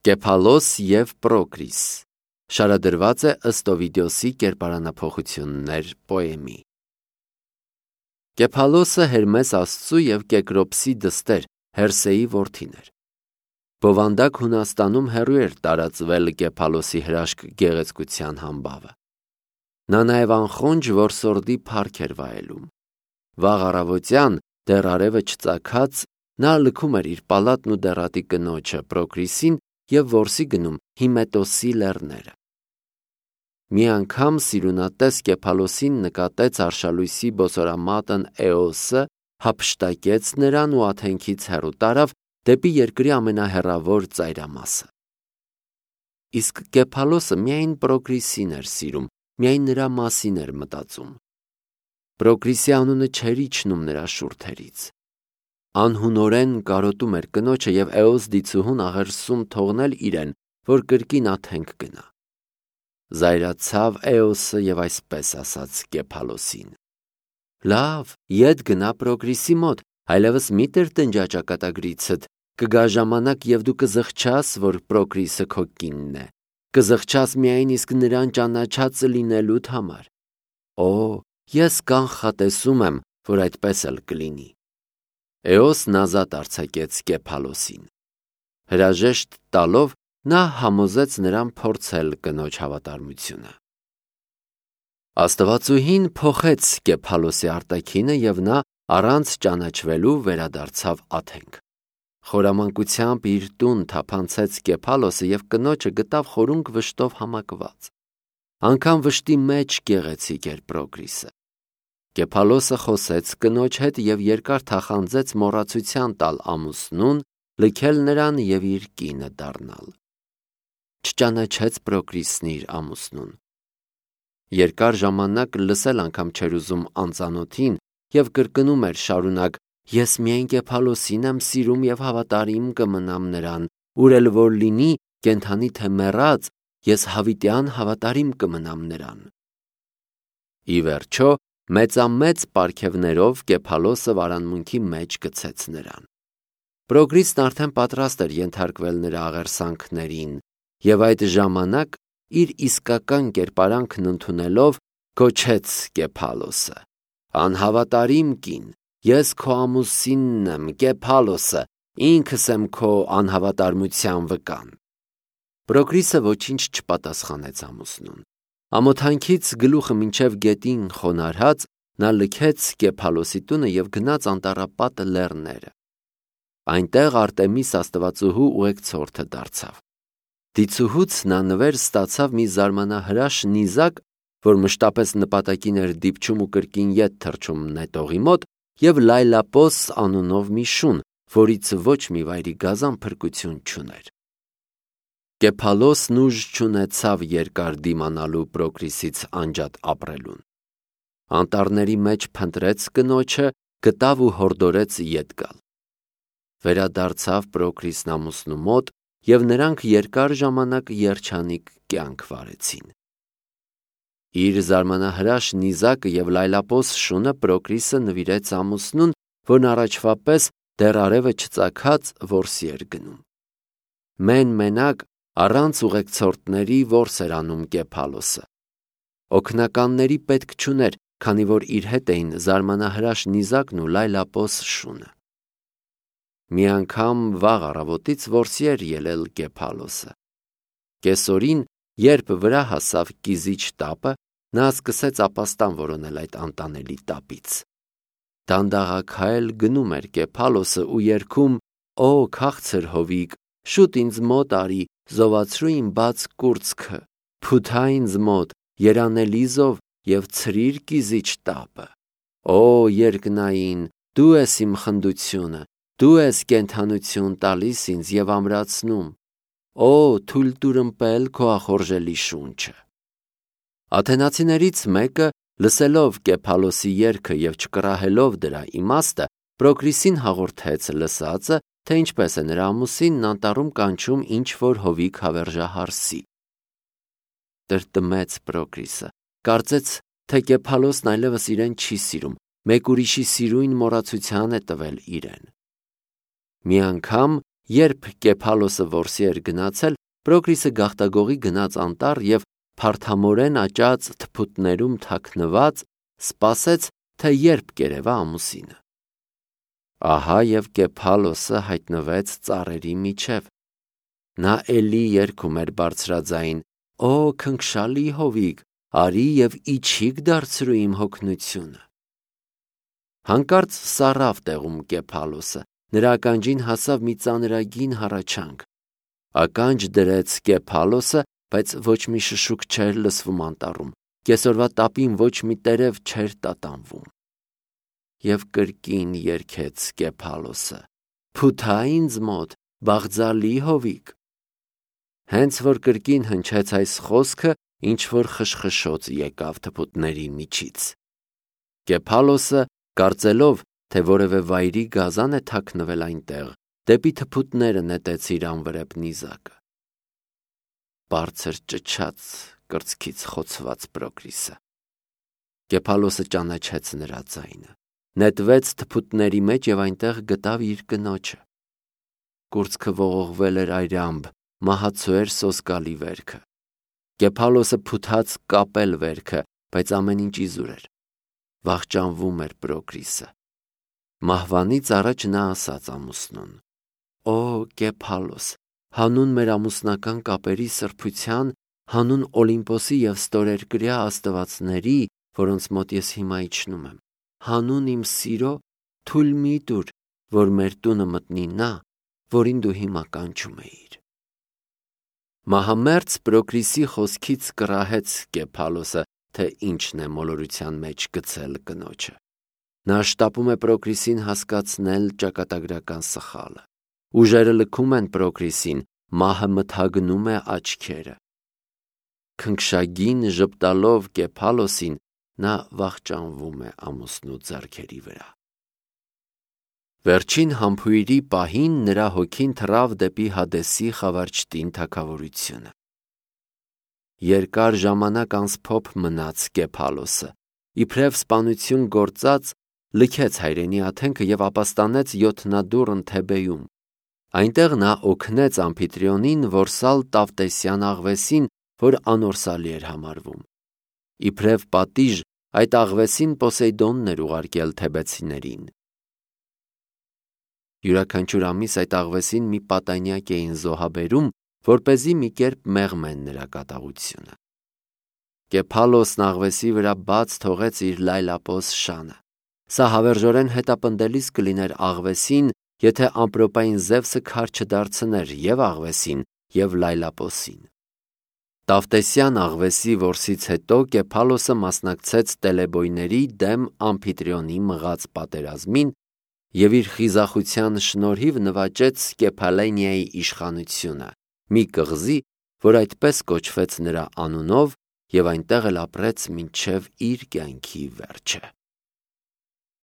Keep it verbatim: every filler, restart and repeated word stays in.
Կեփալոս և Պրոկրիս շարադրված է ըստ Օվիդիոսի կերպարանափոխություններ պոեմի։ Կեփալոսը Հերմես Աստծու և Կեկրոպսի դստեր Հերսեի որդին էր։ Բովանդակ Հունաստանում հեռու էր տարածվել Կեփալոսի հրաշք գեղեցկության համբավը։ Նա նաև անխոնջ որսորդի փառք էր վայելում։ Վաղ առավոտյան, դեռ արևը չծագած, նա լքում էր իր պալատն ու դեռատի կնոջը Պրոկրիսին և որսի գնում Հիմետոսի լեռները։ Մի անգամ սիրունատես Կեփալոսին նկատեց արշալույսի բոցորամատն Էոսը, հափշտակեց նրան ու աթենքից հեռու տարավ դեպի երկրի ամենահեռավոր ծայրամասը։ Իսկ Կեփալոսը միայն Պրոկրիսին էր սիրում, միայն նրա մասին էր մտածում։ Պրոկրիսի անունը չէր իջնում նրա շուրթերից։ Անհունորեն կարոտում էր կնոջը և Էոս դիցուհուն աղերսում թողնել իրեն, որ կրկին աթենք գնա։ Զայրացավ Էոսը և այսպես ասաց Կեփալոսին. «Լավ, ետ գնա Պրոկրիսի մոտ, այլևս մի տրտնջա ճակատագրիցդ, կգա ժամանակ և դու կզղջաս, որ Պրոկրիսը քո կինն է, կզղջաս միայն իսկ նրան ճանաչած լինելուդ համար։ Օ, ես կանխատեսում եմ, որ այդպես էլ կլինի»։ Էոսն ազատ արձակեց Կեփալոսին։ Հրաժեշտ տալով նա համոզեց նրան փորձել կնոջ հավատարմությունը։ Աստվածուհին փոխեց Կեփալոսի արտաքինը և նա առանց ճանաչվելու վերադարձավ աթենք։ Խորամանկությամբ իր տուն թափանցեց Կեփալոսը և կնոջը գտավ խորունկ վշտով համակված։ Անգամ վշտի մեջ գեղեցիկ էր Պրոկրիսը։ Կեփալոսը խոսեց կնոջ հետ և երկար թախանձեց մոռացության տալ ամուսնուն, լքել նրան և իր կինը դառնալ։ Չճանաչեց Պրոկրիսն իր ամուսնուն։ Երկար ժամանակ լսել անգամ չէր ուզում անծանոթին և կրկնում էր շարունակ. «Ես միայն Կեփալոսին եմ սիրում և հավատարիմ կմնամ նրան, ուր էլ որ լինի, կենդանի թե մեռած, ես հավիտյան հավատարիմ կմնամ նրան»։ Ի վերջո, մեծամեծ պարգևներով Կեփալոսը վարանմունքի մեջ գցեց նրան։ Պրոկրիսն արդեն պատրաստ էր ենթարկվել նրա աղերսանքներին և այդ ժամանակ, իր իսկական կերպարանքն ընդունելով, գոչեց Կեփալոսը. «Անհավատարիմ կին, ես քո ամուսինն եմ, Կեփալոսը, ինքս եմ քո անհավատարմության վկան»։ Պրոկրիսը ոչինչ չպատասխանեց ամուսնուն։ Ամոթանքից գլուխը մինչև գետին խոնարհած, նա լքեց Կեփալոսի տունը և գնաց Անտառապատ լեռները։ Այնտեղ Արտեմիս աստվածուհու ուղեկցորդը դարձավ։ Դիցուհուց նա նվեր ստացավ մի զարմանահրաշ նիզակ, որ մշտապես նպատակին էր դիպչում ու կրկին ետ թռչում նետողի մոտ, և Լայլապոս անունով մի շուն, որից ոչ մի վայրի գազան փրկություն չուներ։ Կեփալոսն ուժ չունեցավ երկար դիմանալու Պրոկրիսից անջատ ապրելուն։ Անտառների մեջ փնտրեց կնոջը, գտավ ու հորդորեց ետ գալ։ Վերադարձավ Պրոկրիսն ամուսնու մոտ, և նրանք երկար ժամանակ երջանիկ կյանք վարեցին։ Իր զարմանահրաշ նիզակը և լայլապոս շունը Պրոկրիսը նվիրեց ամուսնուն, որն առաջվա պես դեռ արևը չծագած որսի էր գնում։ Մեն-մենակ, առանց ուղեկցորդների որս էր անում Կեփալոսը։ Օգնականների պետք չուներ, քանի որ իր հետ էին զարմանահրաշ նիզակն ու լայլապոս շունը։ Մի անգամ վաղ առավոտից որսի էր ելել Կեփալոսը։ Կեսօրին, երբ վրա հասավ կիզիչ տապը, նա սկսեց ապաստան որոնել այդ անտանելի տապից։ Դանդաղաքայլ գնում էր Կեփալոսը ու երգում. «Օ, քաղցր հովիկ, շուտ ինձ մոտ արի, զովացրու իմ բաց կուրծքը, փութա ինձ մոտ, երանելի զով և ցրիր կիզիչ տապը։ Օ, երկնային, դու ես իմ խնդությունը, դու ես կենդանություն տալիս ինձ և ամրացնում։ Օ, թույլ տուր ըմպել քո ախորժելի շունչը»։ Աթենացիներից մեկը, լսելով Կեփալոսի երգը և չկռահելով դրա իմաստը, Պրոկրիսին հաղորդեց լսածը, թե ինչպես է նրա ամուսինն անտառում կանչում ինչ-որ հովիք հավերժահարսի։ Տրտմեց Պրոկրիսը, կարծեց, թե Կեփալոսն այլևս իրեն չի սիրում, մեկ ուրիշի սիրույն մոռացության է տվել իրեն։ Մի անգամ, Երբ Կեփալոսը որսի էր գնացել, Պրոկրիսը գաղտագողի գնաց անտառ և փարթամորեն աճած թփուտներում թաքնված սպասեց, թե երբ կերևա ամուսինը։ Ահա և Կեփալոսը հայտնվեց ծառերի միջև։ Նա էլի երգում էր բարձրաձայն. «Օ քնքշալի հովիկ, արի և իջիկ դարձրու իմ հոգնությունը»։ Հանկարծ սառավ տեղում Կեփալոսը, նրա ականջին հասավ մի ծանրագին հառաչանք։ Ականջ դրեց Կեփալոսը, բայց ոչ մի շշուկ չէր լսվում անտառում, կեսօրվա տապին ոչ մի տերև չէր տատանվում։ Եվ կրկին երգեց Կեփալոսը. «Փութա ինձ մոտ, բաղձալի հովիկ»։ Հենց որ կրկին հնչեց այս խոսքը, ինչ-որ խշխշոց եկավ թփուտների միջից։ Կեփալոսը, կարծելով, թե որևէ վայրի գազան է թաքնվել այնտեղ, դեպի թփուտները նետեց իր անվրեպ նիզակը։ Բարձր ճչաց կրծքից խոցված Պրոկրիսը։ Կեփալոսը ճանաչեց նրա ձայնը, նետվեց թփուտների մեջ և այնտեղ գտավ իր կնոջը։ Կուրծքը ողողվել էր այրամբ, մահացու էր սոսկալի վերքը։ Կեփալոսը փութաց կապել վերքը, բայց ամեն ինչ իզուր էր։ Վախճանվում էր Պրոկրիսը։ Մահվանից առաջ նա ասաց ամուսնուն. «Օ Կեփալոս, հանուն մեր ամուսնական կապերի սրբության, հանուն Օլիմպոսի և ստորերկրյա աստվածների, որոնց մոտ ես հիմա իջնում եմ, հանուն իմ սիրո, թույլ մի տուր, որ մեր տունը մտնի նա, որին դու հիմա կանչում էիր»։ Մահամերձ Պրոկրիսի խոսքից կռահեց Կեփալոսը, թե ինչն է մոլորության մեջ գցել կնոջը։ Նա շտապում է Պրոկրիսին հասկացնել ճակատագրական սխալը։ Ուժերը լքում են Պրոկրիսին, մահը մթագնում է աչքերը։ Քնքշագին ժպտալով Կեփալոսին, նա վախճանվում է ամուսնու ձեռքերի վրա։ Վերջին համբույրի պահին նրա հոգին թռավ դեպի Հադեսի խավարճտին թագավորությունը։ Երկար ժամանակ անսփոփ մնաց Կեփալոսը, իբրև սպանություն գործած, լքեց հայրենի աթենքը և ապաստանեց յոթնադուռն Թեբեում։ Այնտեղ նա օգնեց Ամփիտրիոնին որսալ Տավտեսյան աղվեսին, որ անորսալի էր համարվում։ Իբրև պատիժ այդ աղվեսին Պոսեյդոնն էր ուղարկել թեբեցիներին։ Յուրաքանչյուր ամիս այդ աղվեսին մի պատանյակ էին զոհաբերում, որպեսզի մի կերպ մեղմեն նրա կատաղությունը։ Կեփալոսն աղվեսի վրա բաց թողեց իր լայլապոս շանը։ Սա հավերժորեն հետապնդելիս կլիներ աղվեսին, եթե ամպրոպային Զևսը քար չդարձներ և աղվեսին, և լայլապոսին։ Տավտեսյան աղվեսի որսից հետո Կեփալոսը մասնակցեց տելեբոյների դեմ Ամփիտրիոնի մղած պատերազմին և իր խիզախության շնորհիվ նվաճեց Կեփալենիայի իշխանությունը, մի կղզի, որ այդպես կոչվեց նրա անունով, և այնտեղ էլ ապրեց մինչև իր կյանքի վերջը։